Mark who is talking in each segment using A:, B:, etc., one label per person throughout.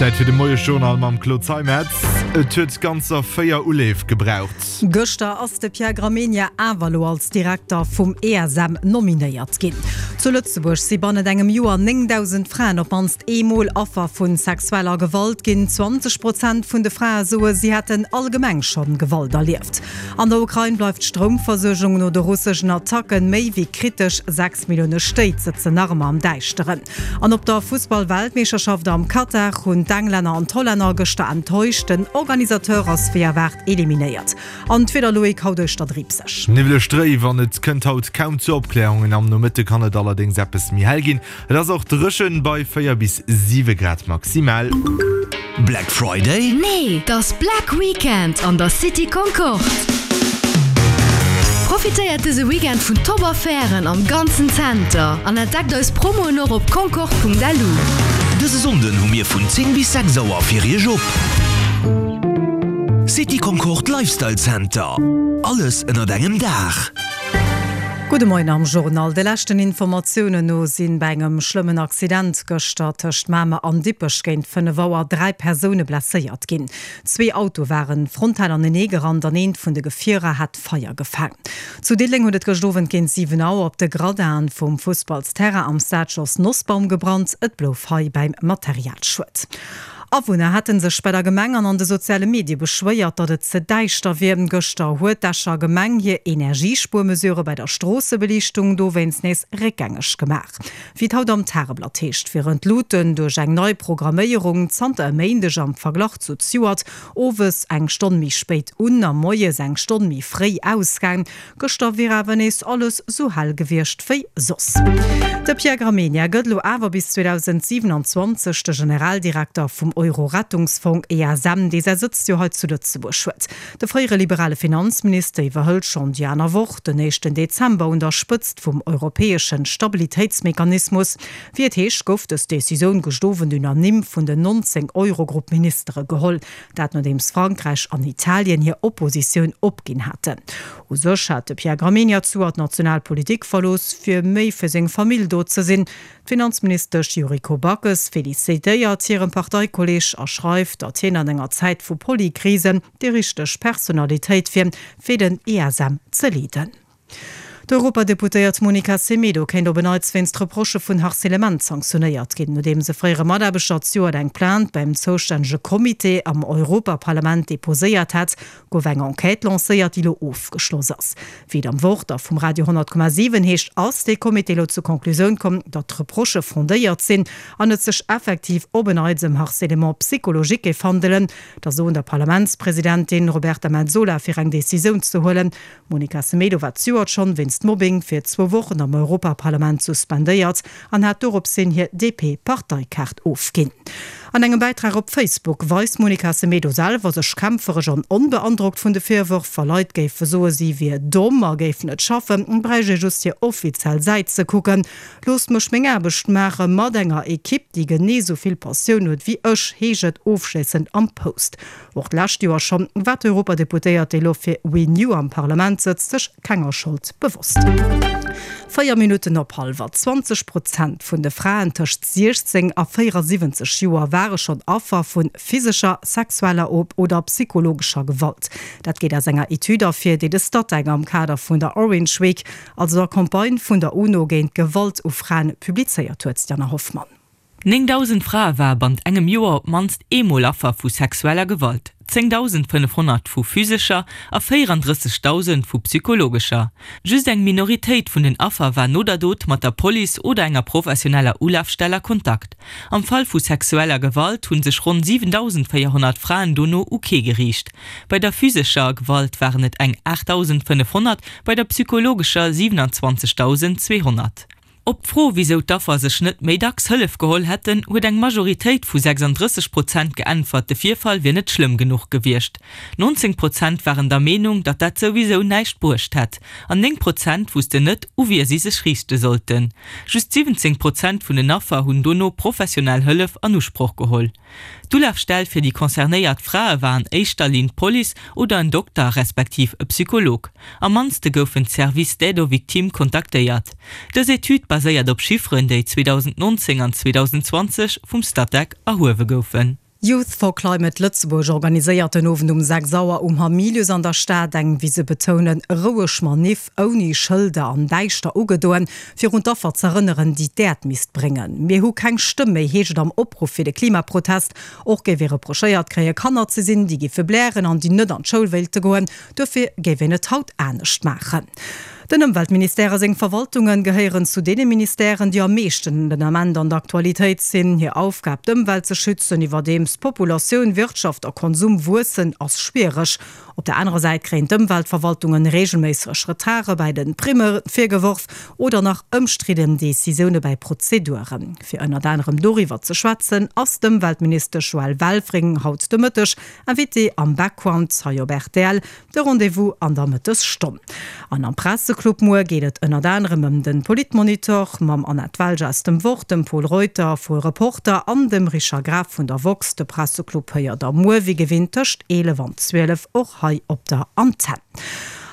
A: Zäit fir de Moiesjournal mam Claude Zeimetz. Et huet ganzer 4 Uleef gebraucht.
B: Gëschter ass de Pierre Gramegna awer elo als Direkter vum ESM nominéiert ginn. Zu Lëtzebuerg si bannent engem Joer 9.000 Fraen op d'mannst eemol Affer vu sexueller Gewalt ginn. 20 Prozent vun de Frae soe si hätten allgemeng schonn Gewalt erlieft. An der Ukrain bleift d'Stroumversuergung no de russeschen Attacken méi wéi kritesch. 6 Millioune Stéit sëtzen nach ëmmer am Däischteren. An op der Fussball-Weltmeeschterschaft am Katar hunn d'Englänner an d'Hollänner gëschter enttäuscht. Den Organisateur ass wéi erwaart eliminéiert. An d'Wieder Loïc, haut uechter driibseg.
A: Niwweleg dréif an et kënnt haut kaum zu Opklärungen. Am Nomëtte kann et allerdéngs eppes méi hell ginn. Et ass och dréchen bei 4 bis 7 Grad maximal.
C: Black Friday?
D: Nee, t'ass Black Weekend an der City Concorde! Profitéiert dëse Weekend vun top Affären am ganzen Zenter an entdeckt eis Promoen och op concorde.lu.
C: Dëse Sonnden hu mir vun 10 bis 6 Auer fir iech op. City Concorde Lifestyle Center, alles ënnert engem Daach.
B: Gudde Moien am Journal. De leschten Informatiounen no sinn bei engem schlëmmen Accident gëschter tëscht Mamer an Dippech géint 5 Auer 3 Persoune blesséiert ginn. Zwee Auto waren frontal anenee gerannt an eent vun de Gefierer hat Feier gefaang. Zu Diddeleng huet et gëscht Owend géint 7 Auer op de Gradinen vum Fussballsterrain am Stade Jos Nosbaum gebrannt. Et blouf hei bäim Materialschued. Awunner hätte sech bei der Gemeng an an de soziale Medie beschwéiert, datt et ze däischter wier. Gëschter huet d'Escher Gemeng hir Energiespuermesurë bei der Stroossebeliichtung dowéinst nees réckgängeg gemaach. Wéi et haut am Tageblatt heescht, wieren d'Luuten duerch eng nei Programméierung zanter e Méindeg am Verglach zu zejoert owes eng Stonn méi spéit un a moies eng Stonn méi fréi ausgaang. Gëschter wier awer nees alles sou hell gewiescht wéi soss. De Pierre Gramegna gëtt elo awer bis 2027 de Generaldirekter vum Euro-Rettungsfong ESM, dee säi Sëtz jo hei zu Lëtzebuerg huet. De fréiere liberale Finanzminister iwwerhëlt schonn déi aner Woch, den éischten Dezember, un der Spëtzt vum europäesche Stabilitéitsmechanismus. Wéi et heescht, gouf dës Decisioun gëscht Owend unanime vun den 19 Eurogrupp-Ministere geholl. Dat nodeems Frankräich an Italien hir Oppositioun opginn haten. U sech hat de Pierre Gramegna zuer d'national Politik verlooss, fir méi fir seng Famill do ze sinn. D'Finanzministesch Yuriko Backes felicitéiert hirem Parteikolleeg a schreift, datt hien an enger Zäit vu Polykrisen déi richteg Personalitéit wier, fir den ESM ze leeden. D'Europadeputéiert Monica Semedo kéint op en Neits wéinst Reprochë vun Harcèlement sanktionéiert ginn, nodeems e fréiere Mataarbechter zejoert eng Plainte beim zoustännege Comité am Europaparlament deposéiert hat, gouf eng Enquête lancéiert, déi elo ofgeschloss ass. Wéi et am Wort a vum Radio 100,7 heescht, ass dee Comité elo zur Conclusioun komm, datt d'Reprochë fondéiert sinn an et sech effektiv op en Neits ëm Harcèlement psychologique géif handelen. Da soen der Parlamentspresidentin Roberta Metsola fir eng Decisioun ze huelen. D'Monica Semedo war d'Joert schonn wéinst Mobbing fir zwou Wochen am Europaparlament suspendéiert an hat doropshin hir DP-Parteikaart ofginn. An engem Bäitrag op Facebook weist d'Monica Semedo selwer sech kämpferesch an onbeandrockt vun de Virwërf. Wa Leit géife soe si wier domm a géif net schaffen, bräicht ee just hir offiziell Säit ze kucken. Loosst mech meng Aarbecht maache mat enger Ekipp, déi genee sou vill Passioun huet wéi ech, heescht et ofschléissend am Post. Och d'lescht Joer schonn war d'Europadeputéiert, déi elo fir Renew am Parlament sëtzt, sech kenger Schold bewosst. 4 Minutten op hallwer 20 Prozent vun de Fraen tëscht 16 a 74 Joer ware schonn Affer vu physescher, sexueller oder psychologescher Gewalt. Dat geet aus enger Etüd ervir, déi de Statec am Kader vun der Orange Week, also der Campagne vun der UNO géint d'Gewalt u Fraen, publizéiert huet. D'Jana Hoffmann.
E: 9.000 Frae ware bannt engem Joer op d'mannst eemol Affer vu sexueller Gewalt, 10.500 vu physescher a 34.000 vu psychologescher. Just eng Minoritéit vun den Affer war no der Dot mat der Police oder enger professioneller Ulafstell a Kontakt. Am Fall vu sexueller Gewalt hu sech ronn 7.400 Fraen dono u kee geriicht. Bei der physescher Gewalt waren et eng 8.500, bei der psychologescher 27.200. Op d'Fro, wisou d'Affer sech net méi dacks Hëllef geholl hätten, huet eng Majoritéit vu 36 Prozent geäntwert, de Virfall wier net schlëmm genuch gewiescht. 19 Prozent waren der Meenung, datt dat souwisou näischt bruecht hätt. An 9 Prozent wussten net, u wie si sech riichte sollten. Just 17 Prozent vun den Affer hunn dono professionell Hëllef an Usproch geholl. D'Ulafstell fir déi concernéiert Frae war an éischter Linn d'Police oder en Dokter respektiv e Psycholog. Am mannste goufen d'Services d'aide aux victimes kontaktéiert. Dës Etüd baséiert op Chifferen, déi 2019 an 2020 vum Statec erhuewe goufen.
B: Youth for Climate Lëtzebuerg organiséiert den Owend um 6 Auer um Hamilius an der Stad eng, wéi se betounen, roueg Maniff, ouni Schëlder an däischter ugedoen, fir un d'Affer z'erënneren, déi d'Äerd misst bréngen. Mir hu keng Stëmm méi, heescht et am Opruff fir de Klimaprotest. Och géif ee reprochéiert kréie Kanner ze sinn, déi giffe blären an déi net an d'Schoul wéilte goen. Duerfir géif een et haut anescht maachen. Den Ëmweltministère a seng Verwaltunge gehéieren zu deene Ministèren, déi am meeschten den Ament an der Aktualitéit sinn. Hir Aufgab, d'Ëmwelt ze schützen, iwwerdeems Populatioun, Wirtschaft a Konsum wuessen, ass schwiereg. Op der anerer Säit kréien d'Ëmweltverwaltungen reegelméisseg Retarde bäi de Primme virgeworf oder nach ëmstridden Decisioune bäi Prozeduren. Fir ënnert anerem doriwwer ze schwätzen, ass d'Ëmweltministesch Joëlle Welfring haut de Mëtteg Invitée am Background hei op rtl. De Rendez-vous an der Mëttesstonn. An am Presseclub muer geet et ënnert anerem ëm de Politmonitor mam Annette Welge aus dem Wort, dem Pol Reuter vu Reporter an dem Richard Graf vun der woxx. De Presseclub héiert der muer wéi gewinnt tëscht 11 an 12 och hei op der Antenn.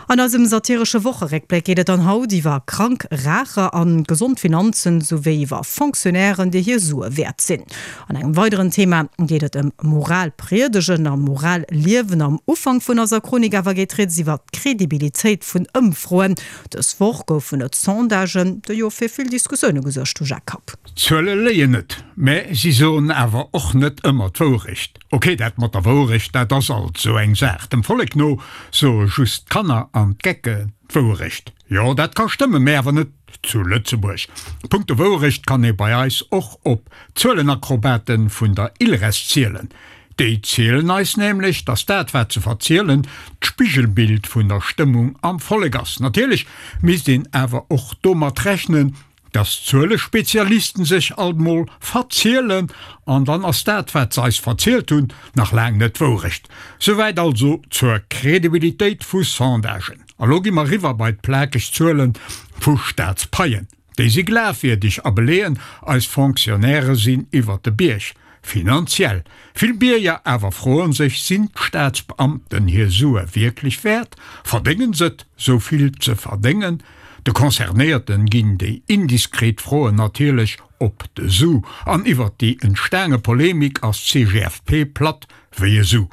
B: An eisem satiresche Wocheréckbléck geet et dann haut iwwer krank Raacher an gesond Finanzen, souwéi iwwer Fonctionnairen, déi hir Sue wäert sinn. An engem weideren Thema geet et ëm Moral priedegen a Moral liewen. Am Ufank vun eiser Chronik awer geet rieds iwwer d'Credibilitéit vun Ëmfroen. Dës Woch goufen et Sondagen, déi jo fir vill Diskussioune gesuergt hu, Jacques Kapp.
F: D'Zuele léien net, mä si soen awer och net ëmmer d'Wourecht. Ok, dat mat der Wouerecht, dat ass alt sou eng Saach. Dem Vollek no soe just d'Kanner an d'Gecke d'Wouerecht. Jo, dat ka stëmmen, mä awer net zu Lëtzebuerg. Punkto Wouerecht kann ee bei eis och op d'Zuelenakrobaten vun der ILRES zielen. Déi zielen eis nämlech, dass dat, wat se verzielen, d'Spigelbild vun der Stëmmung am Vollek ass. Natierlech misst een awer och domat rechnen, dass d'Zuelespezialisten sech alt mol verzielen, an dann ass dat, wat se eis verzielt hunn, nach laang net d'Wourecht. Souwäit also zur Credibilitéit vu Sondagen. A lo gi mer riwwer bei d'plakeg Zuele vu Staatspaien. Déi si glafwierdeg a beleeën, eis Fonctionnairë sinn iwwert de Bierg. Finanziell. Vill Bierger awer froen sech, Sinn d'Staatsbeamten hir Sue wierklech wäert? Verdéngen s'et, sou vill ze verdéngen? De Concernéierten ginn déi indiskret Froen natierlech op de Su, an iwwert déi entstaange Polemik ass d'CGFP platt wéi e Su.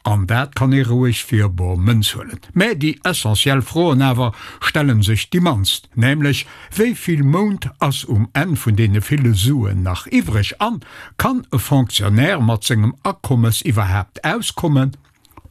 F: An dat kann ee roueg fir bor Mënz huelen. Mä déi essentiell Froen awer stellen sech déi mannst, nämlech, Wéi vill Mount ass um Enn vun deene ville Suen nach iwwreg? An, kann e Fonctionnaire mat sengem Akommes iwwerhaapt auskommen?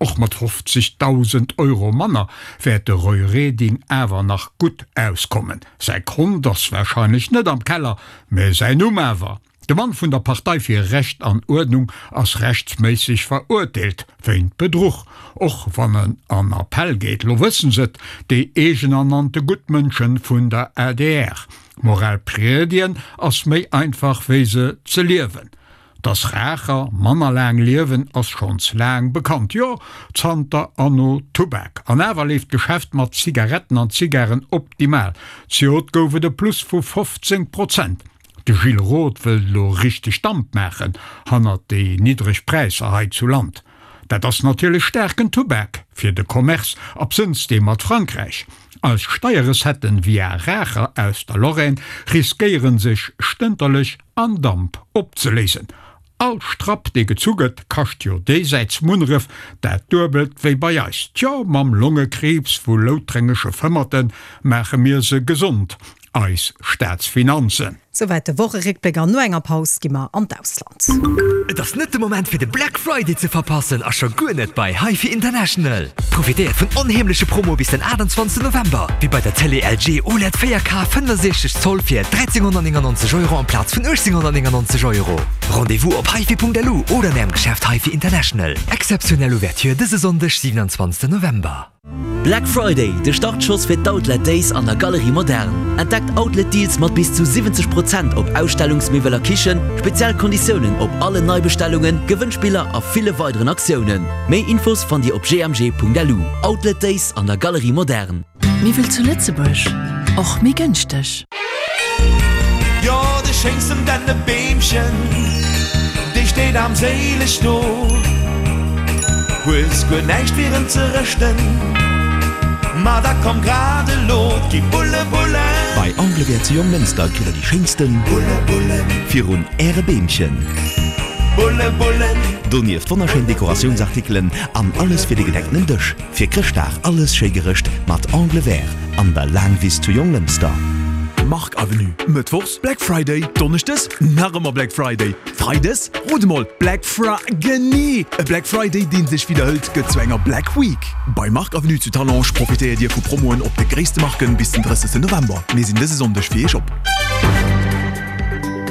F: Och mat 50.000 Euro manner wäert de Roy Reding awer nach gutt auskommen. Säi Kont ass warscheinlech net am Keller, mä säin Numm awer. De Mann vun der Partei fir Recht an Uerdnung ass rechtsméisseg verurteelt wéint Bedruch, och wann en an Appell geet. Lo wëssen s'et, déi eegenernannte Guttmënschen vun der adr. Moral priedien ass méi einfach wéi se ze liewen. Dass Raacher manner laang liewen ass schonns laang bekannt, jo zanter Anno Tubak. An awer leeft d'Geschäft mat Zigaretten an Zigaren optimal. Zejoert gouf et e Plus vu 15 Prozent. De Gilles Roth wëllt elo richteg Damp maachen hannert déi niddreg Präisser hei zu Land. Dat ass natierlech staarken Tubak fir de Commerce, absënns dee mat Frankräich. Eis Steierrecetten via Raacher aus der Lorraine riskéieren sech stënterlech an Damp opzeléisen. All Strapp dee gezu gëtt, kascht jo déisäits Munneref dat duebelt wéi bei eis. Tjo, mam Longekriibs vu loutrengesche Fëmmerte maache mir se gesond, eis Staatsfinanzen.
B: Souwäit de Wocheréckbléck an no enger Paus gi mer an d'Ausland.
C: Et ass net de Moment fir de Black Friday ze verpassen a scho guer net bei HiFi International. Profitéiert vun onheemleche Promoe bis den 28 November, wéi bei der Télé LG OLED 4K 65 Zoll fir 1399 Euro amplaz vun 1899 Euro. Rendez-vous op hifi.lu oder an Ärem Geschäft HiFi International. Exzeptionell Ouverture dëse Sonndeg, 27 November.
G: Black Friday, de Startschoss fir d'Outlet Days an der Galerie Moderne. Entdeckt Outlet Deals mat bis zu 70 Prozent op Ausstellungsmiwwel a Kichen, speziell Konditiounen op allen Neibestellungen, Gewënnspiller a ville weideren Aktiounen. Méi Infos fannt Dir op gmg.lu. Outlet Days an der Galerie Moderne.
H: Miwwel zu Lëtzebuerg, och méi gënschteg.
I: Jo, de schéinsten Dännebeemchen, dee steet armséileg do. Hues guer näischt fir en ze rëschten, ma da komm grad elo, 't gi Bulle, Bullen.
C: Bei Anglewair zu Jonglënster kritt der déi schéinsten Bulle, Bullen virun äre Beemchen.
I: Bulle, Bullen.
J: Donieft wonnerschéin Dekoratiounsartikelen an alles fir de gedeckten Dësch. Fir Chrëschtdag alles schéi gerëscht mat Angle Vert an der Laangwiss zu Jonglënster.
K: Marc Avenue, Mëttwochs Black Friday, Donneschdes nach ëmmer Black Friday, Freides, rot emol, Black Fri, genee! E Black Friday deen sech widderhëlt gëtt zu enger Black Week. Bei Marc Avenue zu Talange profitéiert dir vu Promoen op de gréisste Marken bis den 30 November. Mir sinn dëse Sonndeg fir iech op.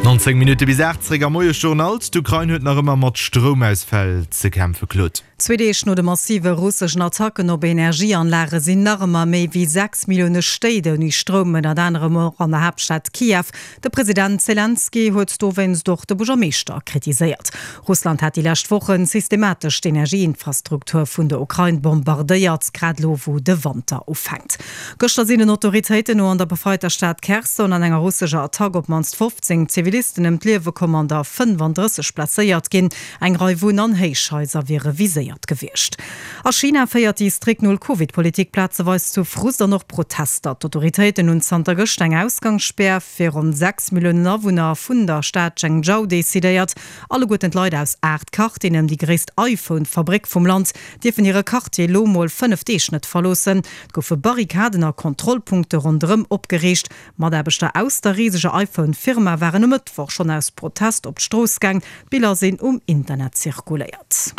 A: 19 Minutte bis 8, zeréck am Moiesjournal. D'Ukrain huet nach ëmmer mat Stroumausfäll ze kämpfe, Claude.
B: Zwee Deeg no de massive russeschen Attacken op Energieanlage sinn nach ëmmer méi wéi 6 Millioune Stéit ouni Stroum, ënnert anerem och an der Haaptstad Kiew. De President Selenskyj huet dowéinst och de Buergermeeschter kritiséiert. Russland hat déi lescht Woche systematesch d'Energieinfrastruktur vun der Ukrain bombardéiert, grad elo wou de Wanter ufänkt. Gëschter sinn den Autoritéiten no an der befreiter Stad Kherson an enger russescher Attack op d'mannst 15 Zivilisten ëm d'Liewe komm an der 35 blesséiert ginn. Eng Rei Wunn an Héichhaiser wiere viséiert gewiescht. A China féiert déi strikt Null-Covid-Politik plazeweis zu Frust an och Protester. D'autoritéiten hunn zanter gëscht eng Ausgangsspär fir ronn 6 Milliounen Awunner vun der Stad Zhengzhou decidéiert. Alleguerten d'Leit aus 8 Quartieren ëm déi gréisst iPhone-Fabréck vum Land dierfen hire Quartier elo mol 5 Deeg net verloossen. Et goufe Barrikaden a Kontrollpunkte ronderëm opgeriicht. Mataarbechter aus der riseger iPhone-Firma waren e Mëttwoch schonn aus Protest op d'Strooss gaang. D'Biller sinn um Internet zirkuléiert.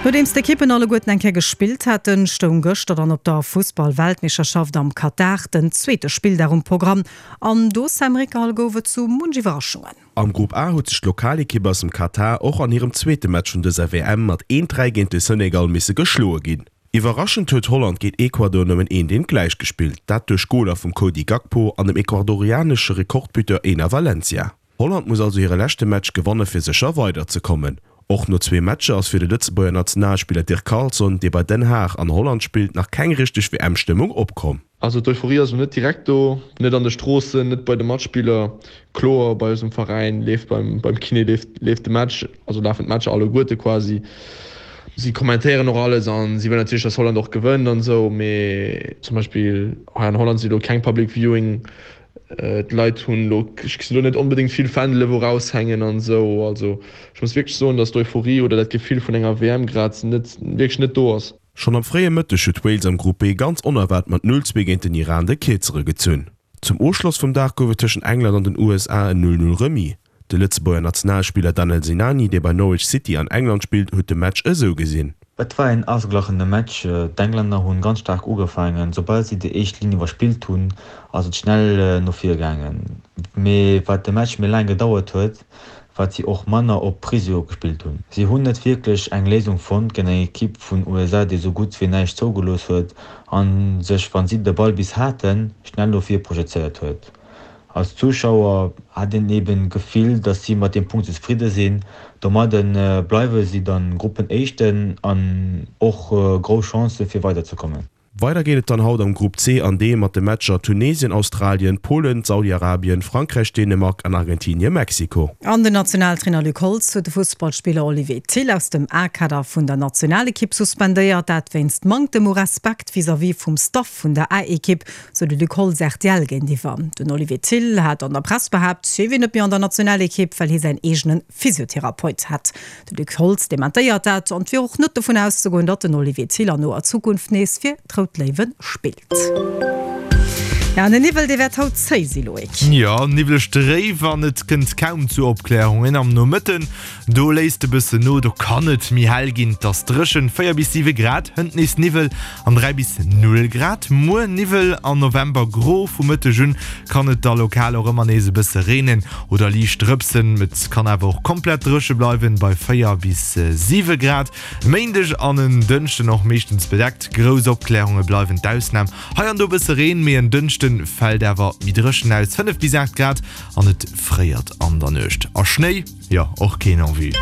B: Nodeems d'Ekippen alleguerten eng Kéier gespillt haten, stoung gëschter dann op der Fussball-Weltmeeschterschaft am Katar den zweete Spilldag um Programm. An do, Sam Rickal, gouf et sou munch Iwwerraschungen.
L: Am Grupp A huet sech d'Lokalekipp aus dem Katar och an hirem zweete Match vun dëser WM mat 1, 3 géint de Senegal misse geschloe ginn. Iwwerraschend huet Holland géint Ecuador nëmmen eent eent gläich gespillt, dat duerch Goler vum Cody Gakpo an dem ecuadorianesche Rekordbuteur Enner Valencia. Holland muss also hire leschte Match gewanne fir sécher weiderzekommen. Och no zwee Matcher ass fir de Lëtzebuerger Nationalspiller Dirk Carlson, dee bei Den Haag an Holland spillt, nach keng richteg WM-Stëmmung opkomm.
M: Also d'Euphorie ass elo net direkt do, net an de Stroossen, net bei de Matspiller. Kloer, bei eisem Veräin leeft beim beim Kiné leeft leeft de Match, also lafen d'Matcher alleguerte quasi. Si kommentéieren och alles an si wëllen natierlech, datt Holland och gewënnt an esou. Mee zum Beispill hei an Holland si elo keng Public Viewing. D'Leit hunn elo, ech gesi elo net onbedéngt vill Fändele wou raushängen an esou. Also ech muss wierklech soen, datt d'Euphorie oder dat Gefill vun enger WM grad net wierklech net do ass.
L: Schonn am fréie Mëtteg huet Wales am Grupp B ganz onerwaart mat 0, 2 géint den Iran de Kierzere gezunn. Zum Ofschloss vum Dag gouf et tëschent England an den USA en 0, 0 Remis. De Lëtzebuerger Nationalspiller Danel Sinani, dee bei Norwich City an England spillt, huet de Match esou gesinn.
N: Et war een ausgeglachene Match. D'Englänner hunn ganz staark ugefaangen. Soubal si déi éischt Linn iwwerspillt hunn, ass et schnell no vir gaangen. Mee wat de Match méi laang gedauert huet, wat si och manner op Risiko gespillt hunn. Si hunn net wierklech eng Léisung fonnt géint eng Ekipp vun USA, déi sou gutt wéi näischt zougelooss huet a sech, wa si de Ball bis haten, schnell no vir projezéiert huet. Als Zuschauer hat een eben d'Gefill, datt si mat deem Punkt zefridde sinn. Domadde bleiwe si dann Gruppenéischten an och grouss Chancë fir weiderzekommen.
L: Weider geet et dann haut am Grupp C an D mat de Matcher Tunesien, Australien, Polen, Saudi-Arabien, Frankräich, Dänemark an Argentinien, Mexiko.
B: An den Nationaltrainer Luc Holtz huet de Fussballspiller Olivier Thill aus dem A-Kader vun der Nationalekipp suspendéiert. Dat wéinst Manktem u Respekt vis-à-vis vum Staff vun der A-Ekipp, sou de Luc Holtz rtl géintiwwer. Den Olivier Thill hat an der Press behaapt, hie wier net méi an der Nationalekipp, well hie säin eegene Physiotherapeut hätt. De Luc Holtz dementéiert dat an et wier och net dovun auszegoen, datt den Olivier Thill an noer Zukunft nees fir d'Rout Léiwe spillt. Jo, an den Niwwel, dee wäert haut zéi si, Loïc.
A: Jo, niwwleg dréif an et kënnt kaum zu Opklärungen. Am Nomëtten, do léisst e bëssen no, do kann et méi hell ginn. Et ass dréchen, 4 bis 7 Grad, hënt nees Niwwel an 3 bis 0 Grad. Muer Niwwel an November gro, vu Mëtteg un kann et da lokal och ëmmer nees e bësse reenen oder liicht drëpsen. Et kann awer och komplett dréche bleiwen, bei 4 bis 7 Grad. E Méindeg an en Dënschden och meeschtens bedeckt, grouss Opklärunge bleiwen d'Ausnam. Hei an do e bësse Reen, mee en Dënschde fält awer méi dréchen aus, 5 bis 8 Grad an et fréiert an der Nuecht. A Schnéi, jo och keen en vue.